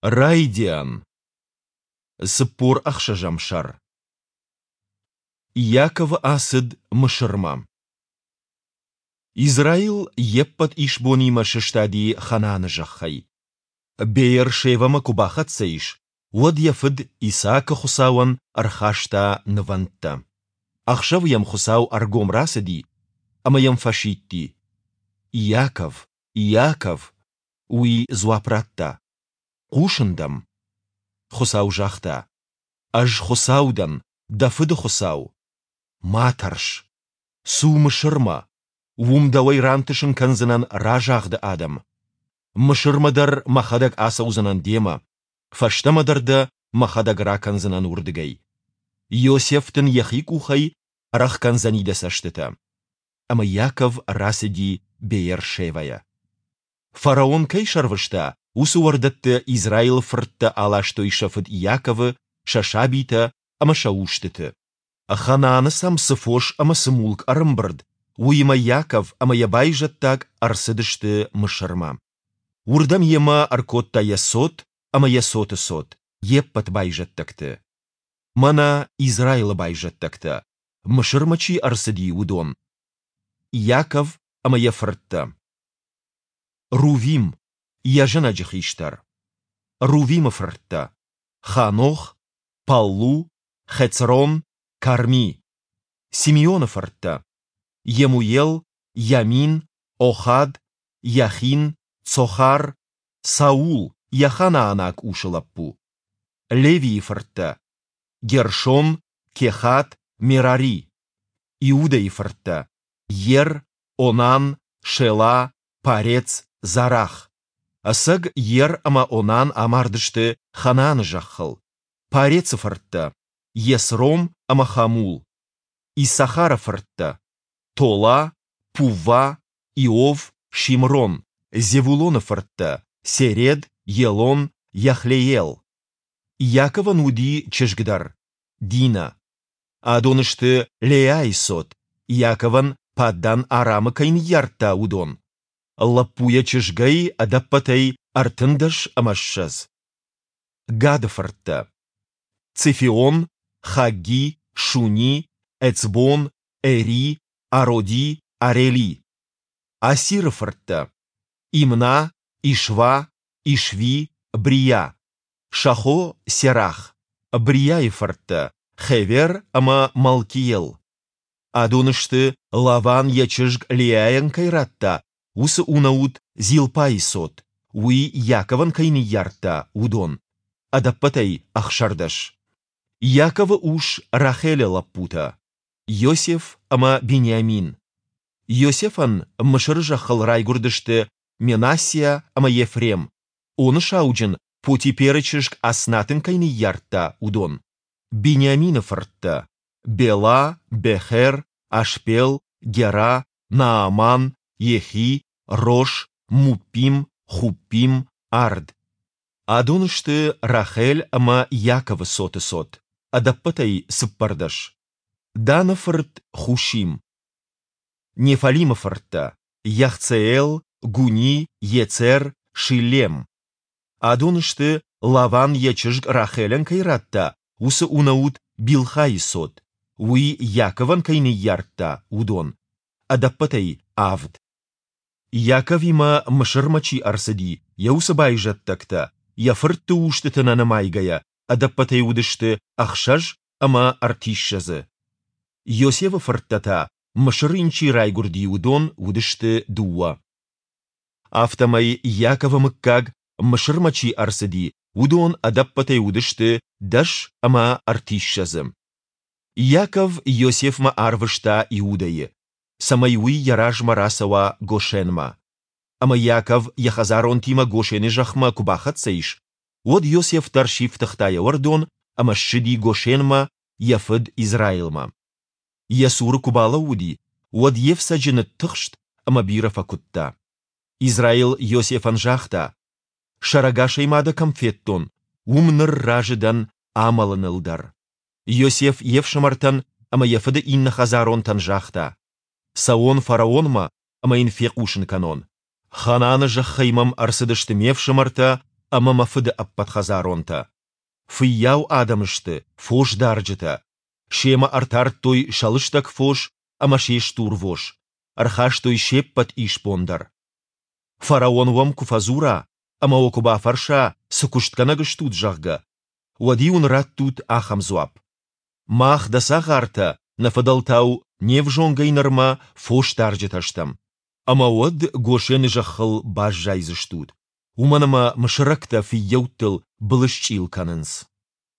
Райдиан. 46-ӕм сӕр. Иаковы ацыд Мысырмӕ. Израил йе ппӕт исбонимӕ сыстади Ханааны зӕххӕй. Беер-Шевӕмӕ куы бахӕццӕ ис, уӕд йӕ фыд Исаакы Хуыцауӕн ӕрхаста нывӕндтӕ. Ӕхсӕвы йӕм Хуыцау ӕргом рацыди ӕмӕ йӕм фӕсидти: Иаков, Иаков! Уый дзуапп радта: Хъусын дӕм. Хуыцау загъта: Ӕз Хуыцау дӕн, дӕ фыды Хуыцау. Ма тӕрс. Цу Мысырмӕ. Уым дӕуӕй рантысын кӕндзынӕн разагъды адӕм. Мысырмӕ дӕр мӕхӕдӕг ацӕудзынӕн демӕ, фӕстӕмӕ дӕр дӕ мӕхӕдӕг ракӕндзынӕн уырдыгӕй. Иосиф дын йӕхи къухӕй ӕрӕхгӕндзӕни дӕ цӕстытӕ. Ӕмӕ Иаков рацыди Беер-Шевӕйӕ. Фараон кӕй сӕрвыста, уыцы уӕрдӕтты Израилы фырттӕ аластой сӕ фыд Иаковы, сӕ сабитӕ ӕмӕ сӕ устыты. Ханааны сӕм цы фос ӕмӕ цы мулк ӕрӕмбырд, уыимӕ Иаков ӕмӕ йӕ байзӕддаг ӕрцыдысты Мысырмӕ. Уырдӕм йемӕ ӕркодта йӕ цот ӕмӕ йӕ цоты цот, йе ппӕт байзӕддӕгты. Мӕнӕ Израилы байзӕддӕгтӕ, Мысырмӕ чи ӕрцыди, уыдон, Иаков ӕмӕ йӕ фырттӕ. Рувим, йӕ зӕнӕджы хистӕр. Рувимы фырттӕ: Ханох, Паллу, Хецрон, Карми. Симеоны фырттӕ: Йемуел, Йамин, Охад, Йахин, Цохар, Саул, йӕ ханаанаг усы лӕппу. Левийы фырттӕ: Гершон, Кехат, Мерари. Иудӕйы фырттӕ: Ер, Онан, Шела, Парец, Зарах. Ӕцӕг Ер ӕмӕ Онан амардысты Ханааны зӕххыл. Парецы фырттӕ: Есром ӕмӕ Хамул. Иссахары фырттӕ: Тола, Пувва, Иов, Шимрон. Зевулоны фырттӕ: Серед, Елон, Йахлеел. Иаковӕн уыди чызг дӕр, Дина. Адон сты Леайы цот, Иаковӕн Паддан-Арамы кӕй ныййардта, уыдон. Лӕппуйӕ-чызгӕй ӕдӕппӕтӕй 23. Гады фырттӕ: Цефеон, Хагги, Шуни, Эцбон, Эри, Ароди, Арели. Асиры фырттӕ: Имна, Ишва, Ишви, Брия. Сӕ хо Серах. Брияйы фырттӕ: Хевер ӕмӕ Малкиел. Адон сты, Лаван йӕ чызг Леайӕн кӕй радта, уыцы унӕут Зилпӕйы цот, уый Иаковӕн кӕй ныййардта, уыдон, ӕдӕппӕтӕй 16. Иаковы ус Рахелы лӕппутӕ, Иосиф ӕмӕ Бениамин. Иосифӕн Мысыры зӕххыл райгуырдысты Менассиа ӕмӕ Ефрем, Оны сауджын Потиперы чызг Аснат ын кӕй ныййардта, уыдон. Бениамины фырттӕ, Бела, Бехер, Ашбел, Гера, Нааман, Ехи, Рош, Муппим, Хуппим, Ард. Адон сты Рахел ӕмӕ Иаковы цоты цот, ӕдӕппӕтӕй 14. Даны фырт Хусим. Неффалимы фырттӕ, Йахцеел, Гуни, Йецер, Шиллем. Адон сты, Лаван йӕ чызг Рахелӕн кӕй радта, уыцы унӕут Билхайы цот, уый Иаковӕн кӕй ныййардта, уыдон, ӕдӕппӕтӕй авд. Иаковимӕ Мысырмӕ чи ӕрцыди, йӕ уыцы байзӕддӕгтӕ, йӕ фыртты устыты нӕ нымайгӕйӕ, ӕдӕппӕтӕй уыдысты 36. Иосифы фырттӕ та, Мысыры йын чи райгуырди, уыдон уыдысты дыууӕ. Афтӕмӕй Иаковы мыггаг, Мысырмӕ чи ӕрцыди, уыдон ӕдӕппӕтӕй уыдысты 30. Иаков Иосифмӕ арвыста Иудӕйы, цӕмӕй уый йӕ размӕ рацӕуа Гошенмӕ. Ӕмӕ Иаков йӕ хӕдзаронтимӕ Гошены зӕхмӕ куы бахӕццӕ ис, уӕд Иосиф дӕр сифтыгъта йӕ уӕрдон ӕмӕ ссыди Гошенмӕ йӕ фыд Израилмӕ. Йӕ цуры куы балӕууыди, уӕд йе фцӕджы ныттыхст ӕмӕ бирӕ фӕкуыдта. Израил Иосифӕн загъта, Сӕрӕгасӕй ма дӕ кӕм федтон, уым ныр разы дӕн амӕлыныл дӕр. Иосиф йе фсымӕртӕн ӕмӕ йӕ фыды иннӕ хӕдзаронтӕн загъта, Цӕуон фараонмӕ ӕмӕ йын фехъусын кӕнон. Ханааны зӕххӕй мӕм ӕрцыдысты ме фсымӕртӕ ӕмӕ мӕ фыды ӕппӕт хӕдзаронтӕ. Фыййау адӕм сты, фосдарджытӕ. Семӕ ӕртардтой сӕ лыстӕг фос ӕмӕ се стурвос, ӕрхастой се ппӕт исбон дӕр. Фараон уӕм куы фӕдзура ӕмӕ уӕ куы бафӕрса, цы куыстгӕнӕг стут, зӕгъгӕ, уӕд-иу ын раттут ахӕм дзуапп, Мах, дӕ цагъартӕ, нӕ фыдӕлтау не взонгӕй нырмӕ фосдарджытӕ стӕм. Ӕмӕ уӕд Гошены зӕххыл баззайдзыстут, уымӕн ӕмӕ мысырӕгтӕ фыййӕуттыл былысчъил кӕнынц.